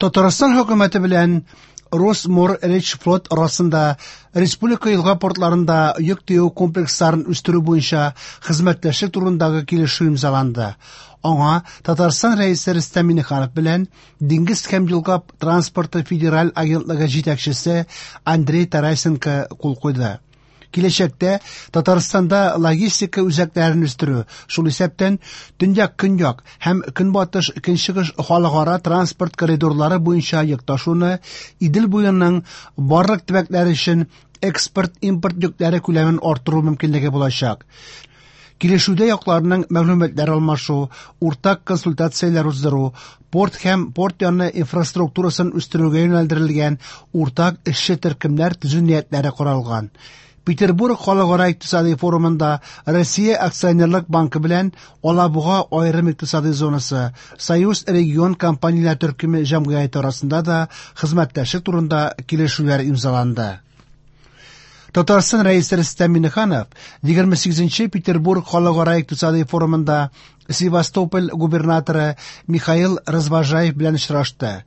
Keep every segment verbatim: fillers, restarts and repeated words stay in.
Татарстан хөкүмәте белән Росморречфлот арасында республика елга портларында йөк төяү комплексларын үстерү буенча хезмәттәшлек турындагы килешү имзаланды. Аңа Татарстан Рәисе Рөстәм Миңнеханов белән Диңгез һәм елга транспорты федераль агентлыгы җитәкчесе Андрей Тарасенко кул куйды. Киләчәктә Татарстанда логистика үзәкләрен үстерү, шул исәптән төньяк-көньяк һәм көнбатыш-көнчыгыш халыкара транспорт коридорлары буенча йөк ташуны, Идел буеның барлык төбәкләре өчен экспорт-импорт йөкләре күләмен арттыру мөмкинлеге булачак. Килешүдә якларның мәгълүматлар алмашу, уртак консультацияләр уздыру, порт һәм порт яны инфраструктурасын үстерүгә юнәлдерелгән уртак эшче төркемнәр төзү ниятләре каралган. Петербург халыкара икътисади форумында Россия акционерлык банкы белән Алабуга аерым икътисади зонасы Союз регион компанияләр төркеме җәмгыяте арасында да хезмәттәшлек турында килешүләр имзаланды. Татарстан Рәисе Рөстәм Миңнеханов егерме сигезенче Петербург халыкара икътисади форумында Севастополь губернаторы Михаил Развожаев белән очрашты.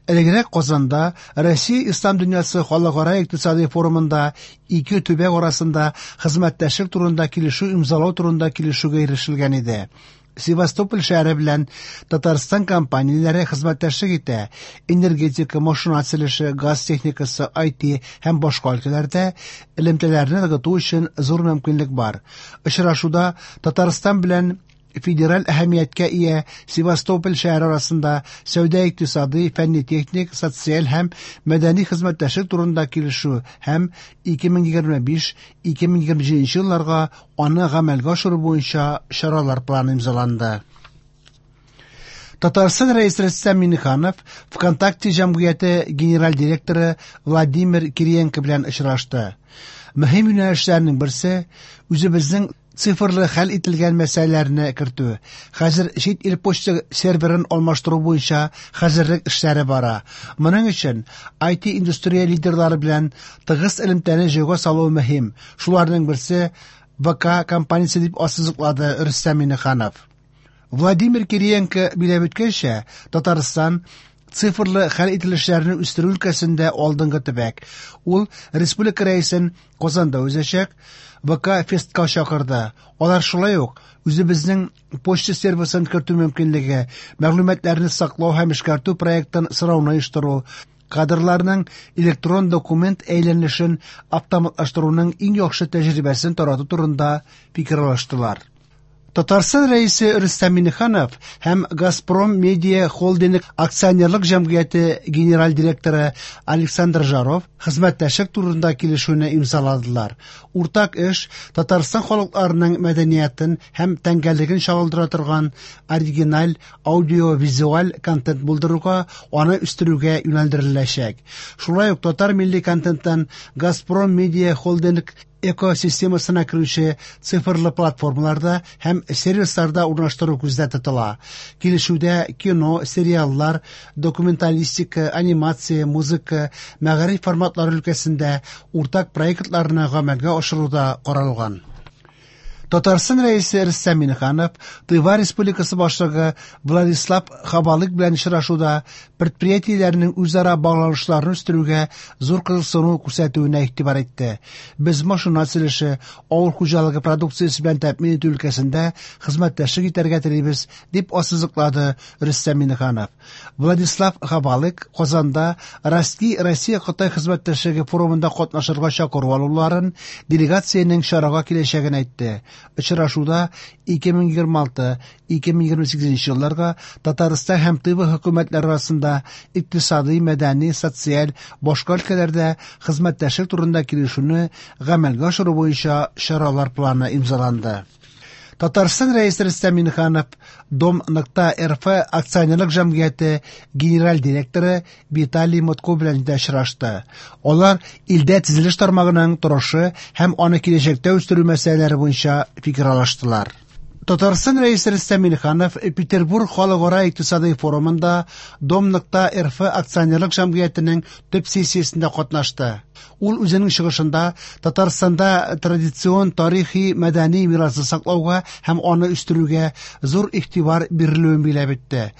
Элегрәк Казанда Россия Ислам дөньясы халыкара икътисади форумында ике төбәк арасында хезмәттәшлек турында килешү имзалау турында килешүгә ирешелгән иде. Севастополь шәһәре белән Татарстан компанияләре хезмәттәшлек итә. Энергетика, машина төзелеше, газ техникасы, ай ти һәм башка өлкәләрдә элемтәләрне ныгыту өчен зур мөмкинлек бар. Очрашуда Татарстан белән федераль әһәмияткә ия Севастополь шәһәре арасында сәүдә икътисади, фәнни-техник, социаль һәм мәдәни хезмәттәшлек турында килешү һәм ике мең егерме биш - ике мең егерме җиденче елларга аны гамәлгә ашыру буенча чаралар планы имзаланды. Татарстан Рәисе Рөстәм Миңнеханов ВКонтакте җәмгыяте генераль директоры Владимир Кириенко белән очрашты. Мөһим юнәлешләрнең берсе үзебезнең цифрлы хәл ителгән мәсьәләләрне кертү. Хәзер чит ил почта серверын алмаштыру буенча хәзерлек эшләре бара. Моның өчен ай ти индустрия лидерлары белән тыгыз элемтәне җайга салу мөһим. Шуларның берсе вэ ка компаниясе дип ассызыклады Рөстәм Миңнеханов. Владимир Кириенко биләп үткәнчә, Татарстан цифрлы хәл ителешләрне үстерү өлкәсендә алдынгы төбәк. Ул республика рәисен Казанда узачак вэ ка фестка чакырды. Алар шулай ук үзебезнең почта сервисын кертү мөмкинлеге, мәгълүматларны саклау һәм эшкәртү проектын сорауны оештыру, кадрларның электрон документ әйләнешен автоматлаштыруның иң яхшы тәҗрибәсен тарату турында фикер алыштылар. Татарстан Рәисе Рөстәм Миңнеханов һәм Газпром Медиа Холдинг акционерлык җәмгыяте генераль директоры Александр Жаров хезмәттәшлек турында килешүне имзаладылар. Уртак эш Татарстан халыкларының мәдәниятен һәм тәңгәллеген чагылдыра торган оригиналь аудиовизуаль контент булдыруга, аны үстерүгә юнәлдереләчәк. Шулай ук татар милли контенттан Газпром Медиа Холдинг экосистемасына керүче цифрлы платформаларда һәм сервисларда урнаштыру күздә тотыла. Килешүдә кино, сериаллар, документалистика, анимация, музыка, мәгариф форматлары өлкәсендә уртак проектларны гамәлгә ашыру да каралган. Татарстан Рәисе Рөстәм Миңнеханов Тыва Республикасы башлыгы Владислав Хабалык белән очрашуда предприятиеләрнең үзара багланышларын үстерүгә зур кызыксыну күрсәтүенә игътибар итте. Без машина төзелеше, авыл хуҗалыгы продукциясе белән тәэмин итү өлкәсендә хезмәттәшлек итәргә телибез, дип ассызыклады Рөстәм Миңнеханов. Владислав Хабалык Казанда Ростки Россия Кытай хезмәттәшлеге форумында катнашырга чакыру алуларын, делегациянең чарага киләчәген әйтте. Очрашуда ике мең егерме алты - ике мең егерме сигезенче елларга Татарстан һәм Тыва хөкүмәтләре арасында икътисади, мәдәни, социаль, башка өлкәләрдә хезмәттәшлек турында килешүне гамәлгә ашыру буенча чаралар планы имзаланды. Татарстан Рәисе Рөстәм Миңнеханов Дом нокта эр эф акционерлык җәмгыяте генераль директоры Виталий Мутко белән дә очрашты. Алар илдә төзелеш тармагының торышы һәм аны киләчәктә үстерү мәсьәләләре буенча фикер алыштылар. Татарстан Рәисе Рөстәм Миңнеханов Петербург халыкара икътисади форумында Дом нокта эр эф акционерлык җәмгыятенең төп сессиясендә катнашты. Ул үзенең чыгышында Татарстанда традицион тарихи мәдәни мирасны саклауга һәм аны үстерүгә зур игътибар бирелүен билгеләп үтте.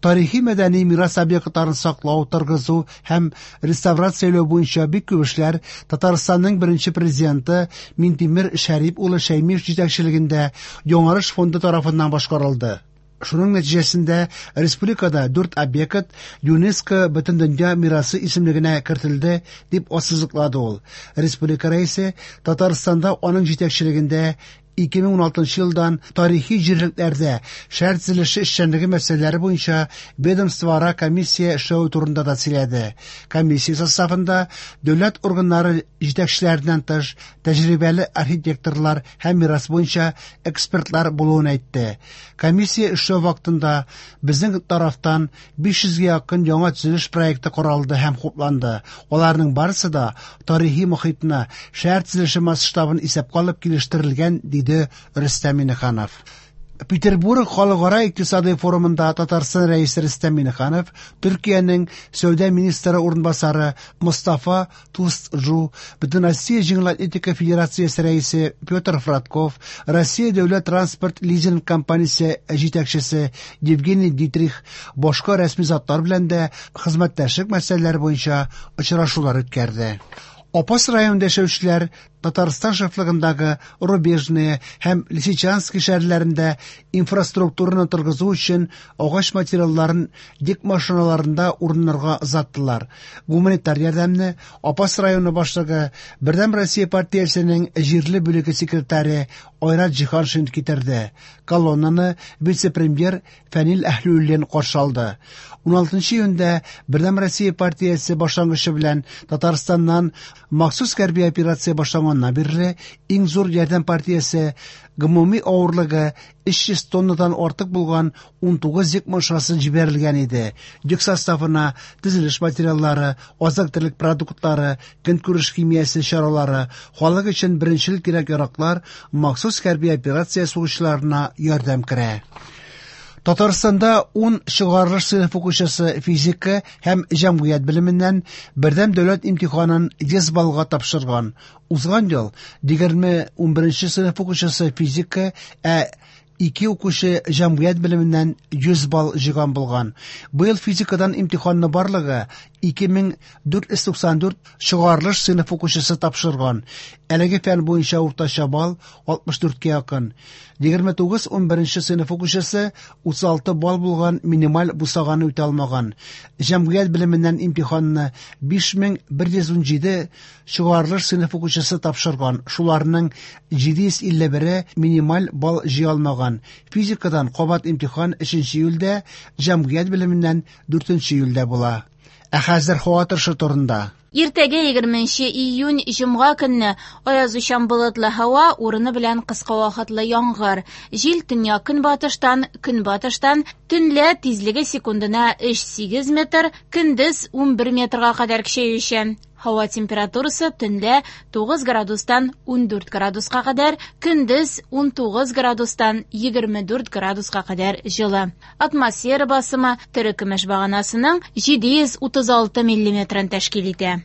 Тарихи мәдәни мирас объектларын саклау, торгызу һәм реставрацияләү буенча бик күп эшләр Татарстанның беренче президенты Минтимер Шәрип улы Шәймиев җитәкчелегендә Яңарыш фонды тарафыннан башкарылды. Шуның нәтиҗәсендә республикада дүрт объект ЮНЕСКО Бөтендөнья мирасы исемлегенә кертелде, дип ассызыклады ул. Республика рәисе Татарстанда аның җитәкчелегендә ике мең уналтынчы елдан тарихи җирлекләрдә шәһәр төзелеше эшчәнлеге мәсьәләләре буенча ведомствоара комиссия эшләве турында да сөйләде. Комиссия составында дәүләт органнары җитәкчеләреннән тыш тәҗрибәле архитекторлар һәм мирас буенча экспертлар булуын әйтте. Комиссия эшләү вакытында безнең тарафтан биш йөзгә якын яңа төзелеш проекты каралды һәм хупланды. Аларның барысы да тарихи мохитны, шәһәр төзелеше масштабын исәпкә алып килештерелгән, диде Рөстәм Миңнеханов. Петербург халыкара икътисади форумында Татарстан рәисе Рөстәм Миңнеханов Төркиянең сәүдә министры урынбасары Мустафа Тузджу, Бөтенроссия җиңел атлетика федерациясе рәисе Петр Фрадков, Россия дәүләт транспорт лизинг компаниясе җитәкчесе Евгений Дитрих башка рәсми затлар белән дә хезмәттәшлек мәсьәләләре буенча очрашулар үткәрде. Апас районында яшәүчеләр Татарстан шефлыгындагы Рубежные һәм Лисичанский шәһәрләрендә инфраструктураны торгызу өчен агач материалларын йөк машиналарында урыннарга озаттылар. Гуманитар ярдәмне Апас районы башлыгы, Бердәм Россия партиясенең җирле бүлеге секретаре Айрат Җиһаншин китерде. Колоннаны вице-премьер Фәнил Әһлиуллин каршы алды. Уналтынчы июньдә Бердәм Россия партиясе башлангычы белән Татарстаннан махсус хәрби операция башланганнан бирле иң зур ярдәм партиясе гомуми авырлыгы өч йөз тоннадан артык булган унтугыз йөк машинасы җибәрелгән иде. Йөк составына төзелеш материаллары, азык-төлек продуктлары, көнкүреш химиясе чаралары, халык өчен беренчел кирәк-яраклар, махсус хәрби операция сугышчыларына ярдәм керә. Татарстанда ун чыгарылыш сыйныф укучысы физика һәм җәмгыять белеменнән бердәм дәүләт имтиханын йөз баллга тапшырган. Узган ел егерме унберенче сыйныф укучысы физика, ә ике укучы җәмгыять белеменнән йөз балл җыйган булган. Быел физикадан имтиханны барлыгы ике мең дүрт йөз туксан дүрт чыгарылыш сыйныф укучысы тапшырган. Әлеге фән буенча уртача балл алтмыш дүрткә якын. Егерме тугыз унберенче сыйныф укучысы утыз алты балл булган минималь бусаганы үтә алмаган. Җәмгыять белеменнән имтиханны биш мең бер йөз унҗиде чыгарылыш сыйныф укучысы тапшырган. Шуларның җиде йөз илле бере минималь балл җыя алмаган. Физикадан кабат имтихан өченче июльдә, җәмгыять белеменнән дүртенче июльдә була. Ә хәзер һава торышы турында. Иртәгә егерменче июнь җомга көнне аязучан болытлы һава, урыны белән кыска вакытлы яңгыр. Җил төньяк көнбатыштан, көнбатыштан, төнлә тизлеге секундына өч сигез метр, көндез унбер метрга кадәр көчәючән. Һава температурасы төнлә тугыз градустан ундүрт градуска кадәр, көндез унтугыз градустан егерме дүрт градуска кадәр җылы. Атмосфера басымы терекөмеш баганасының җиде йөз утыз алты миллиметрын тәшкил итә.